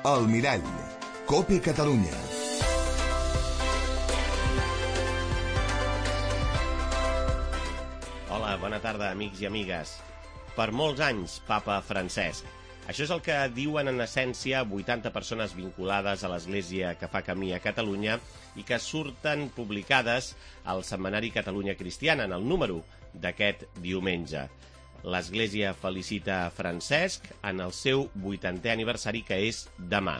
El Mirall, COPE Catalunya. Hola, bona tarda, amics i amigues. Per molts anys, papa Francesc. Això és el que diuen en essència 80 persones vinculades a l'Església que fa camí a Catalunya i que surten publicades al setmanari Catalunya Cristiana, en el número d'aquest diumenge. L'Església felicita Francesc en el seu 80è aniversari, que és demà.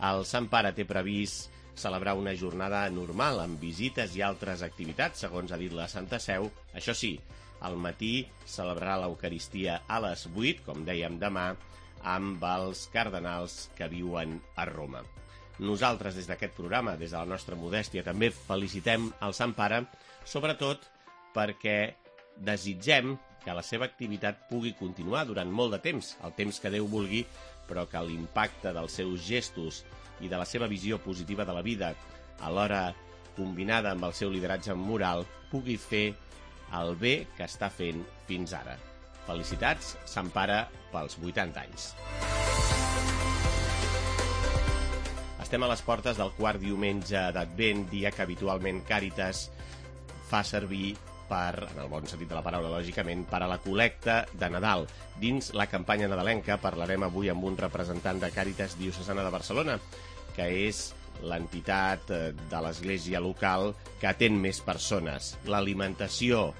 El Sant Pare té previst celebrar una jornada normal, amb visites i altres activitats, segons ha dit la Santa Seu. Això sí, al matí celebrarà l'Eucaristia a les 8, com dèiem demà, amb els cardenals que viuen a Roma. Nosaltres, des d'aquest programa, des de la nostra modèstia, també felicitem el Sant Pare, sobretot perquè desitgem que la seva activitat pugui continuar durant molt de temps, el temps que Déu vulgui, però que l'impacte dels seus gestos i de la seva visió positiva de la vida, alhora combinada amb el seu lideratge moral, pugui fer el bé que està fent fins ara. Felicitats, Sant Pare, pels 80 anys. Estem a les portes del quart diumenge d'Advent, dia que habitualment Càritas fa servir en el bon sentit de la paraula, lògicament, per a la col·lecta de Nadal. Dins la campanya nadalenca parlarem avui amb un representant de Càritas Diocesana de Barcelona, que és l'entitat de l'Església local que atén més persones. L'alimentació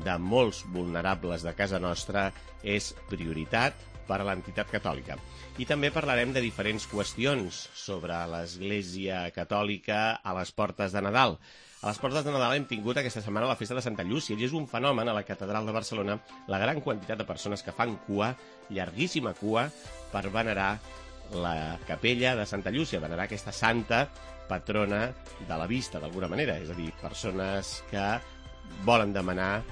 de molts vulnerables de casa nostra és prioritat per a l'entitat catòlica. I també parlarem de diferents qüestions sobre l'Església catòlica a les portes de Nadal. A les portes de Nadal hem tingut aquesta setmana la festa de Santa Llúcia i és un fenomen a la Catedral de Barcelona la gran quantitat de persones que fan cua, llarguíssima cua, per venerar la capella de Santa Llúcia, venerar aquesta santa patrona de la vista, d'alguna manera. És a dir, persones que volen demanar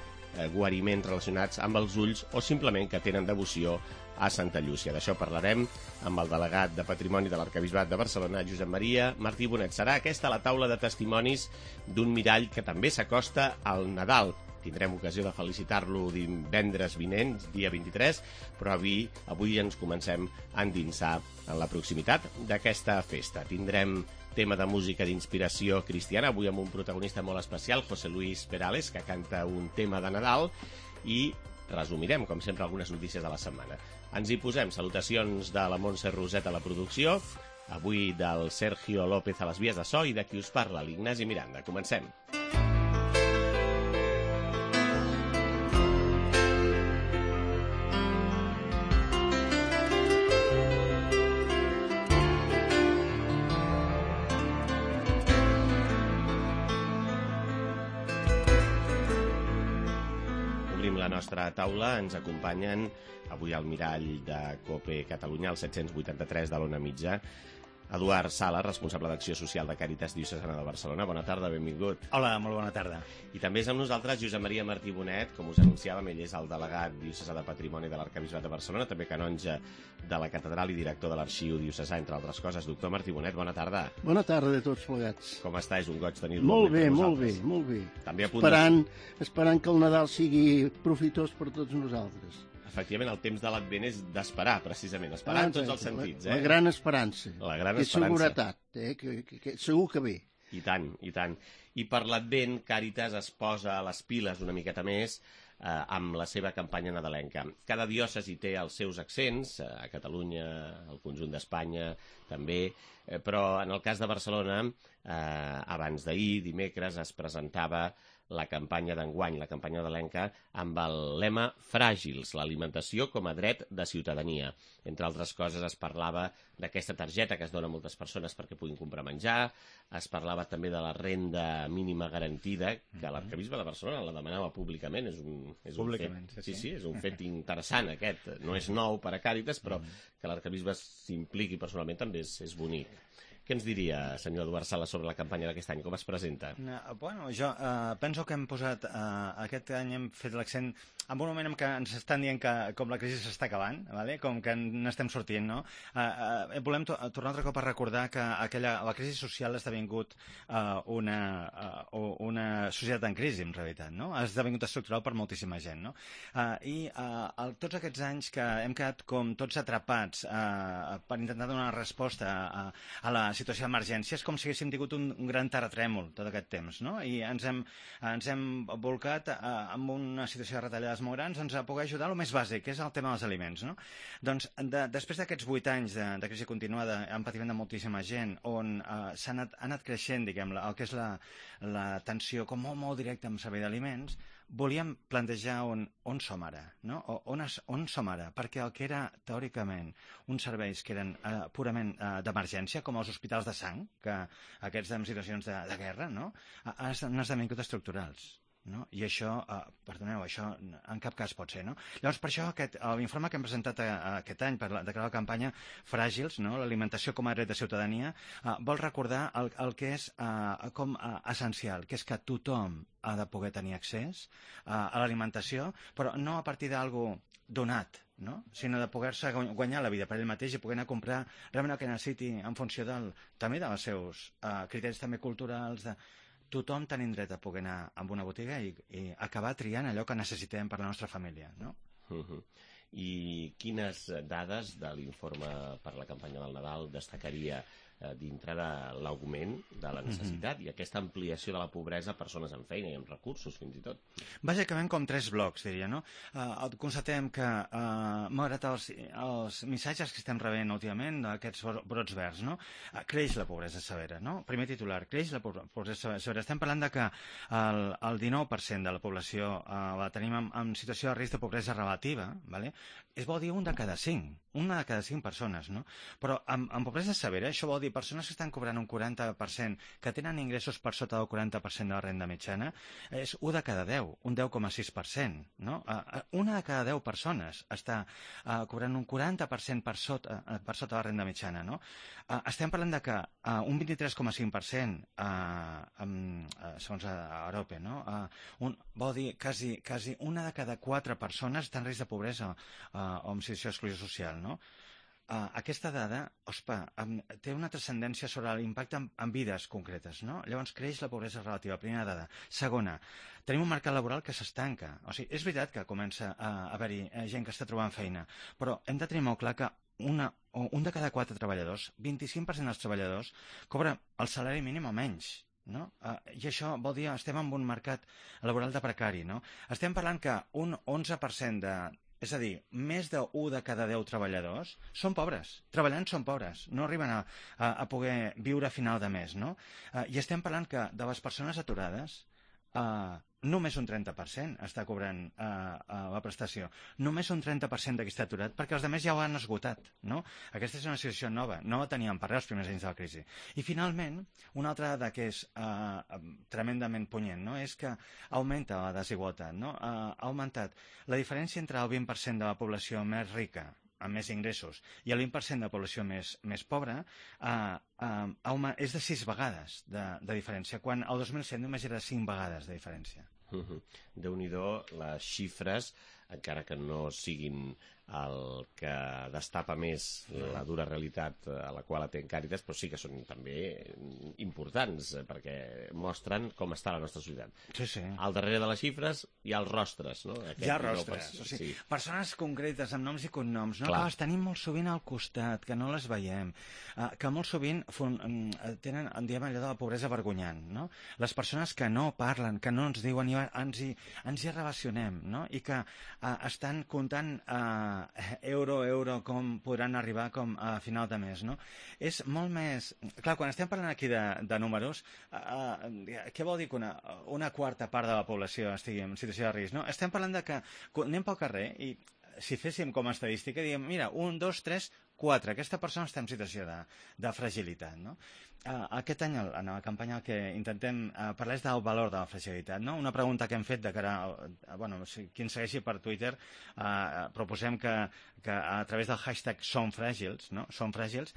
guariments relacionats amb els ulls o simplement que tenen devoció a Santa Llúcia. D'això parlarem amb el delegat de Patrimoni de l'Arquebisbat de Barcelona, Josep Maria Martí Bonet. Serà aquesta la taula de testimonis d'un mirall que també s'acosta al Nadal. Tindrem ocasió de felicitar-lo divendres vinent, dia 23, però avui ens comencem a endinsar en la proximitat d'aquesta festa. Tindrem tema de música d'inspiració cristiana, avui amb un protagonista molt especial, José Luis Perales, que canta un tema de Nadal, i resumirem, com sempre, algunes notícies de la setmana. Ens hi posem. Salutacions de la Montse Roset a la producció, avui del Sergio López a les vies de so i de qui us parla, l'Ignasi Miranda. Comencem. La nostra taula ens acompanyen avui al mirall de COPE Catalunya, al 783 de l'Ona Mitja, Eduard Sala, responsable d'Acció Social de Càritas Diocesana de Barcelona. Bona tarda, benvingut. Hola, molt bona tarda. I també és amb nosaltres Josep Maria Martí Bonet, com us anunciàvem, ell és el delegat diocesà de Patrimoni de l'Arquebisbat de Barcelona, també canonge de la Catedral i director de l'Arxiu Diocesà, entre altres coses. Doctor Martí Bonet, bona tarda. Bona tarda de tots plegats. Com està? És un goig tenir-lo. Molt bé, molt bé, molt bé. També a punt esperant que el Nadal sigui profitós per tots nosaltres. Efectivament, el temps de l'Advent és d'esperar, precisament. Esperar en tots els sentits. La gran esperança. La gran esperança. Seguretat, que segur que ve. I tant, i tant. I per l'Advent, Càritas es posa a les piles una miqueta més amb la seva campanya nadalenca. Cada diòcesi té els seus accents, a Catalunya, al conjunt d'Espanya també, però en el cas de Barcelona, abans d'ahir, dimecres, es presentava la campanya d'enguany, la campanya nadalenca, amb el lema Fràgils, l'alimentació com a dret de ciutadania. Entre altres coses, es parlava d'aquesta targeta que es dona a moltes persones perquè puguin comprar menjar, es parlava també de la renda mínima garantida, que l'Arquebisbe de Barcelona la demanava públicament. És un fet interessant aquest. No és nou per a Càritas, però que l'Arquebisbe s'impliqui personalment també és bonic. Què ens diria, senyor Eduard Sala, sobre la campanya d'aquest any? Com es presenta? Bueno, jo penso que hem posat, aquest any hem fet l'accent en un moment en què ens estan dient que com la crisi s'està acabant, vale? Com que n'estem sortint, no? Volem tornar altre cop a recordar que la crisi social ha esdevingut una societat en crisi, en realitat, no? Ha esdevingut estructural per moltíssima gent, no? Tots aquests anys que hem quedat com tots atrapats per intentar donar resposta a la situació d'emergència, és com si haguéssim tingut un gran terratrèmol tot aquest temps, no? I ens hem volcat amb una situació de retallades molt grans a poder ajudar el més bàsic, que és el tema dels aliments, no? Doncs després d'aquests 8 anys de crisi continuada, amb patiment de moltíssima gent, on ha anat creixent, diguem, el que és la tensió com molt directa amb servei d'aliments, volíem plantejar on som ara, no? On som ara, perquè el que era teòricament uns serveis que eren purament d'emergència, com els hospitals de sang, que aquests en situacions de guerra, no? Han esdevingut estructurals. No? I això, perdoneu, això en cap cas pot ser, no? Llavors, per això, l'informe que hem presentat aquest any per declarar la campanya Fràgils, no? L'alimentació com a dret de ciutadania, vol recordar el que és com essencial, que és que tothom ha de poder tenir accés a l'alimentació, però no a partir d'algú donat, no? Sinó de poder-se guanyar la vida per ell mateix i poder anar a comprar realment el que necessiti en funció també dels seus criteris també culturals. Tothom tenim dret a poder anar a una botiga i acabar triant allò que necessitem per la nostra família, no? I quines dades de l'informe per la campanya del Nadal destacaria dintre de l'augment de la necessitat i aquesta ampliació de la pobresa a persones amb feina i amb recursos, fins i tot? Bàsicament com 3 blocs, diria, no? Constatem que, malgrat els missatges que estem rebent últimament d'aquests brots verds, no? Creix la pobresa severa, no? Primer titular, creix la pobresa severa. Estem parlant de que el 19% de la població la tenim en situació de risc de pobresa relativa, ¿vale? Es vol dir una de cada 5 persones, no? Però en pobresa severa això vol dir persones que estan cobrant un 40%, que tenen ingressos per sota del 40% de la renda mitjana, és 1 de cada 10, un 10,6%, no? Una de cada 10 persones està cobrant un 40% per sota la renda mitjana, no? Estem parlant de que un 23,5%, segons Arope, no? Vol dir quasi una de cada 4 persones està en risc de pobresa o en situació d'exclusió social, no? Aquesta dada, té una transcendència sobre l'impacte en vides concretes, no? Llavors creix la pobresa relativa, primera dada. Segona, tenim un mercat laboral que s'estanca. O sigui, és veritat que comença a haver-hi gent que està trobant feina, però hem de tenir molt clar que un de cada 4 treballadors, 25% dels treballadors, cobra el salari mínim o menys. No? I això vol dir que estem en un mercat laboral de precari, no? Estem parlant que un 11% és a dir, més d'1 de cada 10 treballadors són pobres. Treballant són pobres. No arriben a poder viure a final de mes, no? I estem parlant que de les persones aturades només un 30% està cobrant la prestació. Només un 30% d'aquí està aturat perquè els altres ja ho han esgotat, no? Aquesta és una situació nova. No la teníem per res els primers anys de la crisi. I finalment, una altra dada que és tremendament punyent, no? És que augmenta la desigualtat, no? Ha augmentat la diferència entre el 20% de la població més rica amb més ingressos i el 20% de la població més pobra és de 6 vegades de diferència, quan el 2007 només era 5 vegades de diferència. Déu-n'hi-do les xifres, encara que no siguin el que destapa més la dura realitat a la qual atén Càritas, però sí que són també importants, perquè mostren com està la nostra societat. Sí, sí. Al darrere de les xifres hi ha els rostres, no? Hi ha rostres, o sigui, persones concretes amb noms i cognoms, no? Clar. Que les tenim molt sovint al costat, que no les veiem, que molt sovint tenen, diguem, allò de la pobresa vergonyant, no? Les persones que no parlen, que no ens diuen, ens hi relacionem, no? I que estan comptant euro, com podran arribar com a final de mes, no? És molt més... Clar, quan estem parlant aquí de números, què vol dir que una quarta part de la població estigui en situació de risc, no? Estem parlant de que anem pel carrer i si féssim com a estadística, diguem, mira, 1, 2, 3, 4, aquesta persona està en situació de fragilitat, no? Aquest any, en la campanya, el que intentem parlar és del valor de la fragilitat, no? Una pregunta que hem fet de cara a... qui ens segueixi per Twitter, proposem que a través del hashtag SomFràgils, no? Som Fràgils,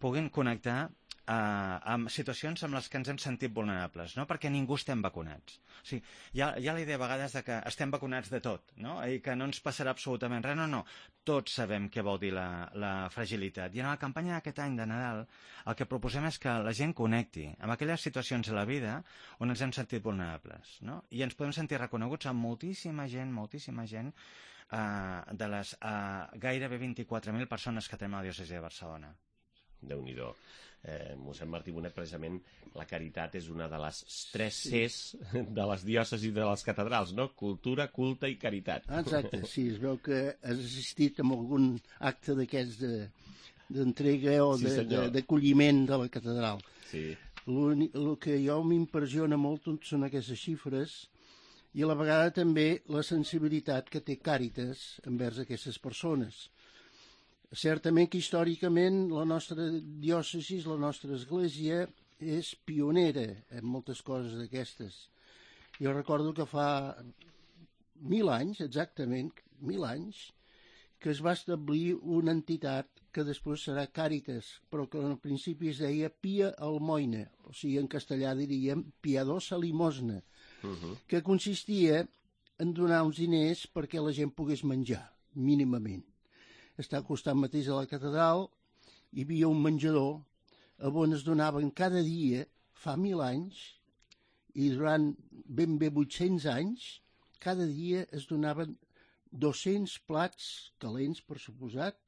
puguin connectar amb situacions amb les que ens hem sentit vulnerables, no? Perquè ningú estem vacunats. O sigui, hi ha la idea a vegades de que estem vacunats de tot, no? I que no ens passarà absolutament res. No. Tots sabem què vol dir la fragilitat. I en la campanya d'aquest any de Nadal el que proposem és que la gent connecti amb aquelles situacions de la vida on ens hem sentit vulnerables, no? I ens podem sentir reconeguts amb moltíssima gent de les gairebé 24.000 persones que tenim a la diòcesi de Barcelona. Déu-n'hi-do. Mossèn Martí Bonet, precisament, la caritat és una de les 3 Cs de les diòcesis de les catedrals, no? Cultura, culte i caritat. Exacte, sí, es veu que has assistit a algun acte d'aquests d'entrega o d'acolliment de la catedral. Sí. El que jo m'impressiona molt són aquestes xifres i a la vegada també la sensibilitat que té Càritas envers aquestes persones. Certament que històricament la nostra diòcesi, la nostra església, és pionera en moltes coses d'aquestes. Jo recordo que fa 1.000 anys, exactament 1.000 anys, que es va establir una entitat que després serà Càritas, però que al principi es deia Pia Almoina, o sigui, en castellà diríem piadosa limosna, que consistia en donar uns diners perquè la gent pogués menjar, mínimament. Està al costat mateix de la catedral, hi havia un menjador on es donaven cada dia, fa 1.000 anys, i durant ben bé 800 anys, cada dia es donaven 200 plats calents, per suposat,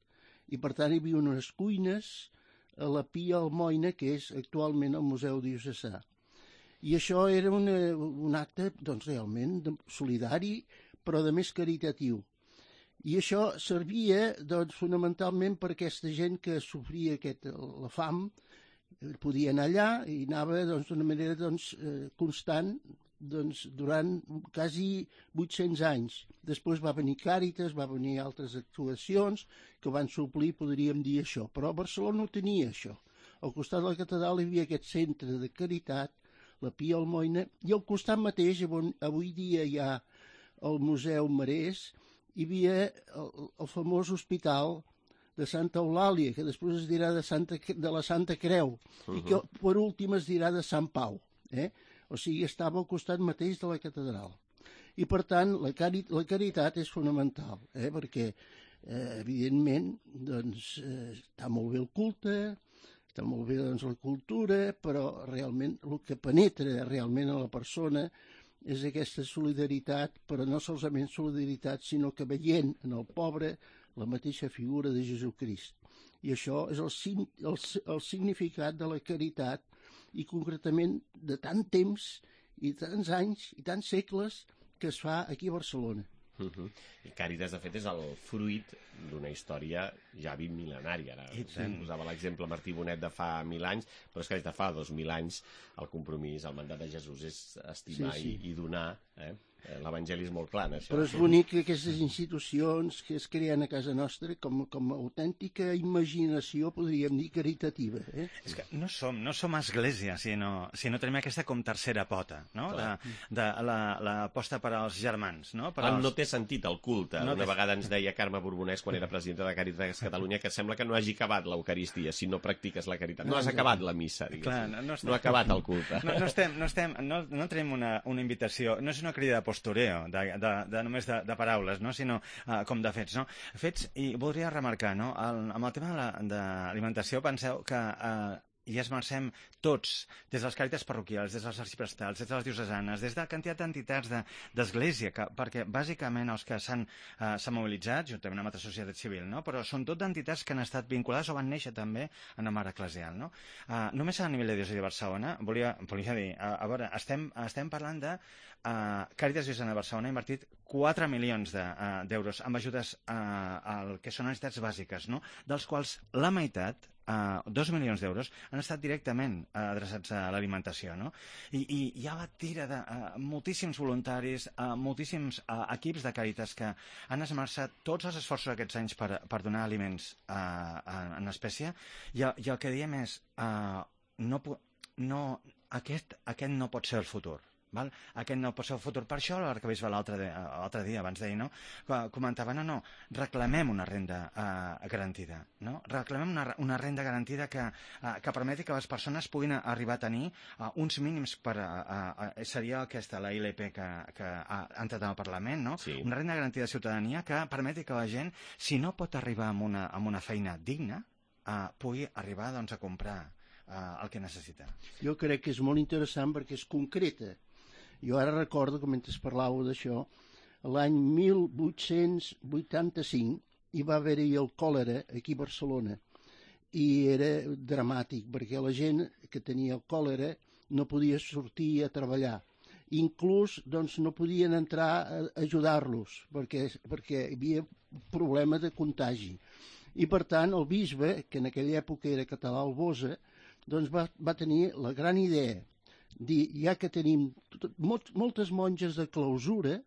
i per tant hi havia unes cuines a la Pia Almoina, que és actualment el Museu Diocesà. I això era un acte doncs, realment solidari, però de més caritatiu. I això servia doncs, fonamentalment per aquesta gent que sofria la fam, podia anar allà i anava d'una manera constant durant quasi 800 anys. Després va venir Càritas, va venir altres actuacions que van suplir, podríem dir això. Però Barcelona no tenia això. Al costat de la catedral hi havia aquest centre de caritat, la Pia Almoina, i al costat mateix, on avui dia hi ha el Museu Marès, hi havia el famós hospital de Santa Eulàlia, que després es dirà de la Santa Creu, i que per últim es dirà de Sant Pau. O sigui, estava al costat mateix de la catedral. I per tant, la caritat és fonamental, perquè, evidentment, està molt bé el culte, està molt bé la cultura, però realment el que penetra realment a la persona és aquesta solidaritat, però no solament solidaritat, sinó que veient en el pobre la mateixa figura de Jesucrist. I això és el significat de la caritat i concretament de tant temps i tants anys i tants segles que es fa aquí a Barcelona. I Càritas, de fet, és el fruit d'una història ja 20 mil·lenària. Ara posava l'exemple Martí Bonet de fa 1.000 anys, però és que des de fa 2.000 anys el compromís, el mandat de Jesús és estimar i donar. L'Evangeli és molt clar en això. Però és bonic que aquestes institucions que es creen a casa nostra com a autèntica imaginació, podríem dir, caritativa. És que no som església, si no tenim aquesta com tercera pota, no? De l'aposta per als germans, no? No té sentit el culte. Una vegada ens deia Carme Borbonès, quan era presidenta de Càritas Catalunya, que sembla que no hagi acabat l'Eucaristia si no practiques la caritat. No has acabat la missa, diguéssim. No ha acabat el culte. No tenim una invitació, no és una crida de postureo, només de paraules, no? Sinó com de fets, no? Fets, i voldria remarcar, no? Amb el tema de l'alimentació, penseu que i esmercem tots, des de les càritas parroquials, des dels arxiprestals, des de les diocesanes, des de la quantitat d'entitats d'església, perquè bàsicament els que s'han mobilitzat, juntament amb la societat civil, no? Però són tot d'entitats que han estat vinculades o van néixer també en el mar eclesial, no? Només a nivell de diòcesi de Barcelona, volia dir, a veure, estem parlant de Càritas Diocesana de Barcelona ha invertit 4 milions d'euros amb ajudes al que són necessitats bàsiques, no? Dels quals la meitat, 2 milions d'euros, han estat directament adreçats a l'alimentació, no? I hi ha la tira de moltíssims voluntaris, moltíssims equips de Càritas que han esmerçat tots els esforços aquests anys per donar aliments en espècie, i el que diem és aquest no pot ser el futur. val? Aquest no pot ser el futur. Per això l'arquebisbe l'altre dia, abans d'ahir, no? Comentava, no, reclamem una renda garantida, no? Reclamem una renda garantida que permeti que les persones puguin arribar a tenir uns mínims seria aquesta, la ILP que ha entrat al Parlament, no? Sí. Una renda garantida de ciutadania que permeti que la gent, si no pot arribar a una feina digna, pugui arribar doncs, a comprar el que necessita. Jo crec que és molt interessant perquè és concreta. Jo ara recordo que mentre parlàveu d'això, l'any 1885 hi va haver-hi el còlera aquí a Barcelona i era dramàtic perquè la gent que tenia el còlera no podia sortir a treballar. Inclús doncs, no podien entrar a ajudar-los perquè hi havia problema de contagi. I per tant el bisbe, que en aquella època era català al Bosa, doncs va tenir la gran idea dir, ja que tenim moltes monges de clausura,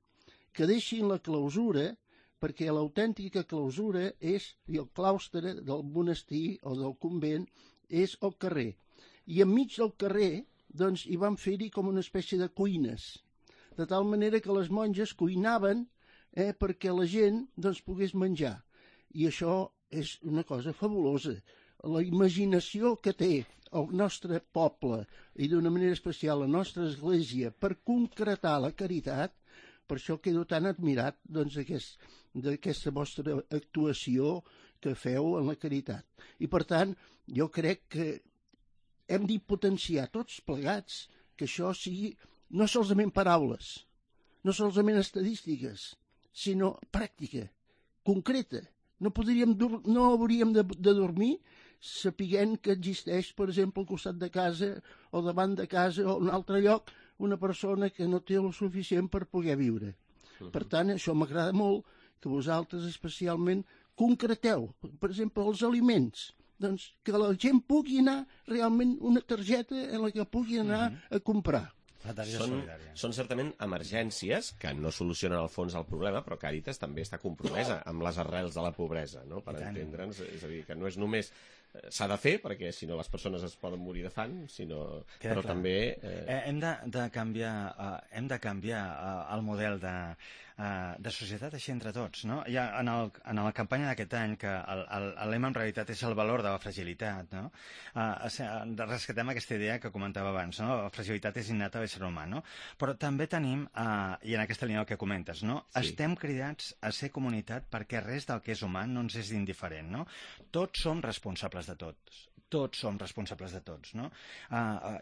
que deixin la clausura perquè l'autèntica clausura és, i el claustre del monestir o del convent és al carrer. I enmig del carrer doncs, hi van fer-hi com una espècie de cuines, de tal manera que les monges cuinaven perquè la gent doncs, pogués menjar. I això és una cosa fabulosa. La imaginació que té el nostre poble i d'una manera especial la nostra església per concretar la caritat, per això quedo tan admirat doncs, d'aquesta vostra actuació que feu en la caritat. I per tant, jo crec que hem d'impotenciar tots plegats que això sigui no solament paraules, no solament estadístiques, sinó pràctica, concreta. No hauríem de dormir sapiguent que existeix, per exemple, al costat de casa o davant de casa o en un altre lloc una persona que no té el suficient per poder viure. Per tant, això m'agrada molt que vosaltres especialment concreteu, per exemple, els aliments. Doncs que la gent pugui anar realment una targeta en la que pugui anar a comprar. Són certament emergències que no solucionen al fons el problema, però Càritas també està compromesa amb les arrels de la pobresa, no? Per entendre'ns, és a dir, que no és només s'ha de fer, perquè si no les persones es poden morir de fam, però també... Hem de canviar el model de societat així entre tots, no? Ja en la campanya d'aquest any, que el lema en realitat és el valor de la fragilitat, no? Rescatem aquesta idea que comentava abans, no? La fragilitat és innata a l'ésser humà, no? Però també tenim, i en aquesta línia el que comentes, no? Sí. Estem cridats a ser comunitat perquè res del que és humà no ens és indiferent, no? Tots som responsables de tots. Tots som responsables de tots, no?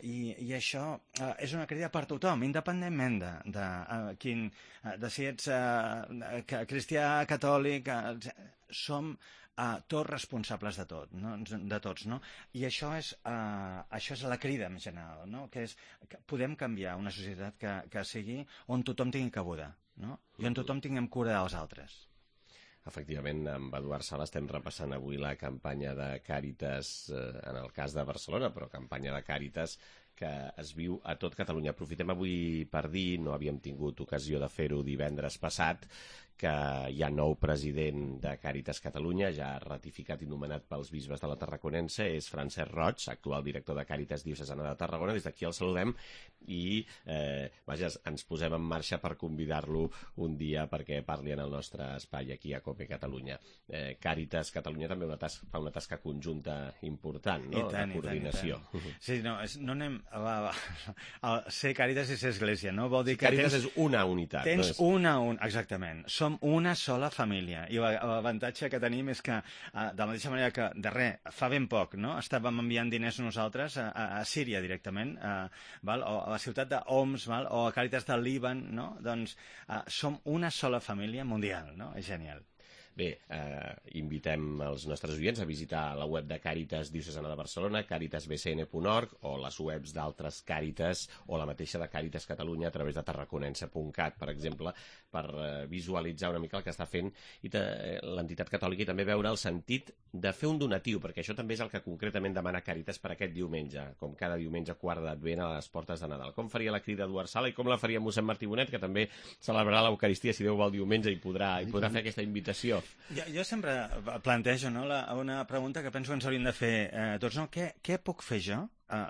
I això és una crida per tothom, independentment de si ets cristià, catòlic, som tots responsables de tot, no? De tots, no? I això és la crida en general, no? Que podem canviar una societat que sigui on tothom tingui cabuda, no? I on tothom tinguem cura dels altres. Efectivament, amb Eduard Sala estem repassant avui la campanya de Càritas, en el cas de Barcelona, però campanya de Càritas que es viu a tot Catalunya. Aprofitem avui per dir, no havíem tingut ocasió de fer-ho divendres passat, que hi ha nou president de Càritas Catalunya, ja ratificat i nomenat pels bisbes de la Tarraconense, és Francesc Roig, actual director de Càritas Diocesana de Tarragona. Des d'aquí el saludem i ens posem en marxa per convidar-lo un dia perquè parli en el nostre espai aquí a COPE Catalunya. Càritas Catalunya també fa una tasca conjunta important, no? De coordinació. Sí, no anem... Ser Càritas i ser església, no? Vol dir que Càritas és una unitat. Tens exactament. Som una sola família i l'avantatge que tenim és que de la mateixa manera que fa ben poc, no? Estàvem enviant diners nosaltres a Síria directament, o a la ciutat d'Homs, o a Càritas del Líban, no? Doncs som una sola família mundial, no? És genial. Bé, invitem els nostres oients a visitar la web de Càritas Diocesana de Barcelona, caritasbcn.org, o les webs d'altres Càritas, o la mateixa de Càritas Catalunya a través de tarraconense.cat, per exemple, per visualitzar una mica el que està fent l'entitat catòlica i també veure el sentit de fer un donatiu, perquè això també és el que concretament demana Càritas per aquest diumenge, com cada diumenge quart d'Advent a les portes de Nadal. Com faria la crida Eduard Sala i com la faria mossèn Martí Bonet, que també celebrarà l'Eucaristia, si Déu vol, diumenge, i podrà fer aquesta invitació. Jo sempre plantejo una pregunta que penso que ens hauríem de fer tots, no? Què puc fer jo,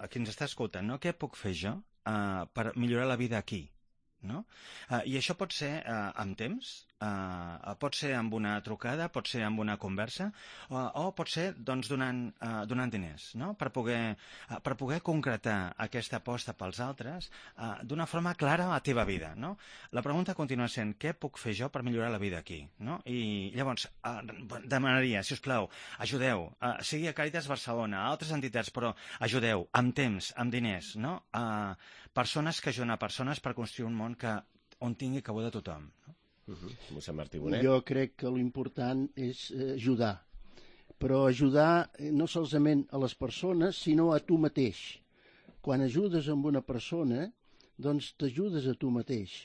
qui ens està escoltant, no? Què puc fer jo per millorar la vida aquí? no? I això pot ser amb temps, pot ser amb una trucada, pot ser amb una conversa, o pot ser doncs, donant diners, no? Per poder concretar aquesta aposta pels altres d'una forma clara a la teva vida, no? La pregunta continua sent, què puc fer jo per millorar la vida aquí? No? I llavors demanaria, si us plau, ajudeu, sigui a Càritas Barcelona, a altres entitats, però ajudeu, amb temps, amb diners, no? Persones que ajuden a persones per construir un món on tingui cabuda tothom, no? Mossèn Martí Bonet. Jo crec que l'important és ajudar, però ajudar no solament a les persones, sinó a tu mateix. Quan ajudes amb una persona, doncs t'ajudes a tu mateix,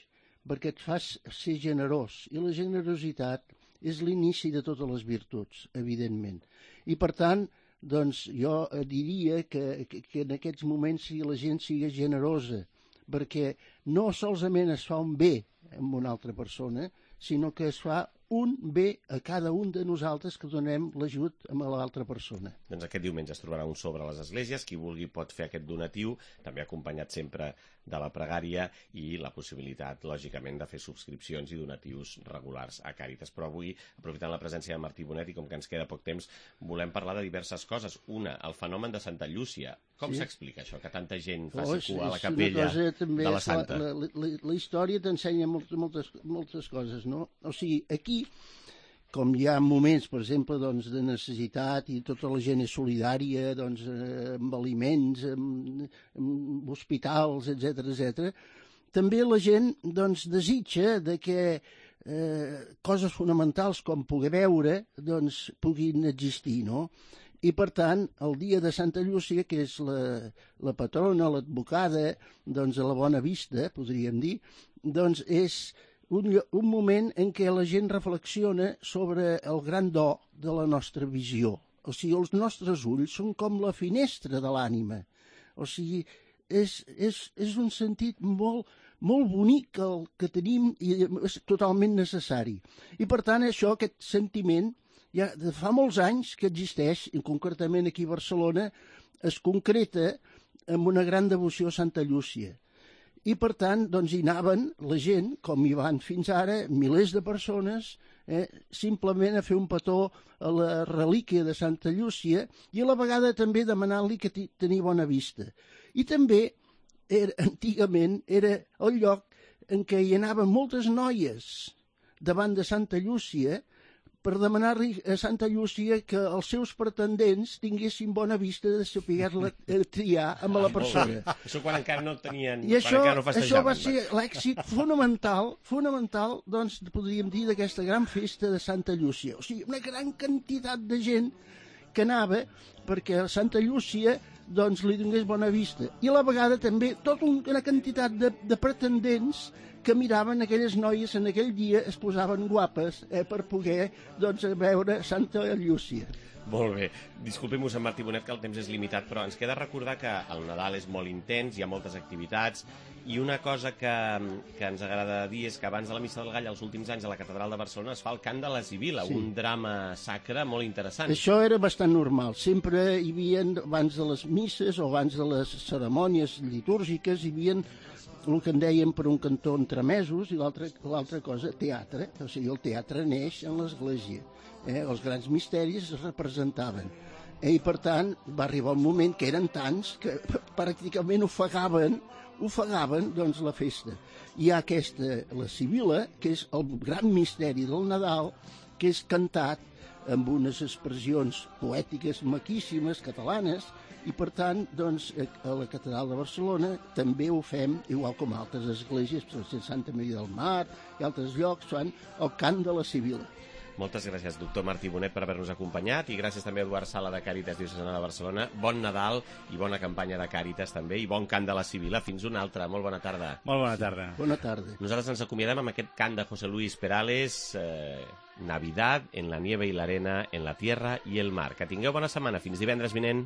perquè et fas ser generós, i la generositat és l'inici de totes les virtuts, evidentment. I per tant, doncs jo diria que en aquests moments la gent sigui generosa, perquè no solament es fa un bé amb una altra persona, sinó que es fa un bé a cada un de nosaltres que donem l'ajut a l'altra persona. Doncs aquest diumenge es trobarà un sobre a les esglésies, qui vulgui pot fer aquest donatiu, també acompanyat sempre de la pregària i la possibilitat, lògicament, de fer subscripcions i donatius regulars a Càritas. Però avui, aprofitant la presència de Martí Bonet i com que ens queda poc temps, volem parlar de diverses coses. Una, el fenomen de Santa Llúcia. Com s'explica això, que tanta gent faci cua a la capella de la Santa? La història t'ensenya moltes coses, no? O sigui, aquí, com hi ha moments, per exemple, doncs, de necessitat i tota la gent és solidària, doncs, amb aliments, amb hospitals, etc., també la gent doncs, desitja de que coses fonamentals com poder veure doncs, puguin existir, no? I, per tant, el dia de Santa Llúcia, que és la patrona, l'advocada, doncs, a la Bona Vista, podríem dir, doncs és un moment en què la gent reflexiona sobre el gran do de la nostra visió. O sigui, els nostres ulls són com la finestra de l'ànima. O sigui, és un sentit molt bonic el que tenim i és totalment necessari. I, per tant, aquest sentiment, ja fa molts anys que existeix, i concretament aquí a Barcelona, es concreta amb una gran devoció a Santa Llúcia. I, per tant, doncs, hi anaven la gent, com hi van fins ara, milers de persones, simplement a fer un petó a la relíquia de Santa Llúcia i a la vegada també demanant-li que tenia bona vista. I també, antigament, era el lloc en què hi anaven moltes noies davant de Santa Llúcia per demanar-li a Santa Llúcia que els seus pretendents tinguessin bona vista de saber-la triar amb la persona. Això quan encara no tenien... I això va ser l'èxit fonamental, doncs, podríem dir, d'aquesta gran festa de Santa Llúcia. O sigui, una gran quantitat de gent que anava perquè Santa Llúcia doncs, li donés bona vista. I a la vegada també tota una quantitat de pretendents que miraven aquelles noies en aquell dia es posaven guapes per poder doncs, veure Santa Llúcia. Molt bé. Disculpem, mossèn Martí Bonet, que el temps és limitat, però ens queda recordar que el Nadal és molt intens, hi ha moltes activitats, i una cosa que ens agrada dir és que abans de la Missa del Gall, els últims anys a la Catedral de Barcelona, es fa el cant de la Sibila, sí. Un drama sacre molt interessant. Això era bastant normal. Sempre hi havia, abans de les misses o abans de les cerimònies litúrgiques, hi havia el que en dèiem per un cantó entremesos i l'altra cosa, teatre. O sigui, el teatre neix en l'església. Els grans misteris es representaven. I, per tant, va arribar un moment que eren tants que pràcticament ofegaven doncs, la festa. Hi ha la Sibila, que és el gran misteri del Nadal, que és cantat amb unes expressions poètiques maquíssimes, catalanes, i, per tant, doncs, a la Catedral de Barcelona també ho fem, igual com altres esglésies, Santa Maria del Mar i altres llocs, fan el cant de la Sibila. Moltes gràcies, doctor Martí Bonet, per haver-nos acompanyat, i gràcies també a Eduard Sala de Càritas Diocesana de Barcelona. Bon Nadal i bona campanya de Càritas també, i bon cant de la Sibila. Fins una altra. Molt bona tarda. Molt bona tarda. Bona tarda. Nosaltres ens acomiadem amb aquest cant de José Luis Perales, Navidad en la nieve y la arena, en la tierra y el mar. Que tingueu bona setmana. Fins divendres vinent.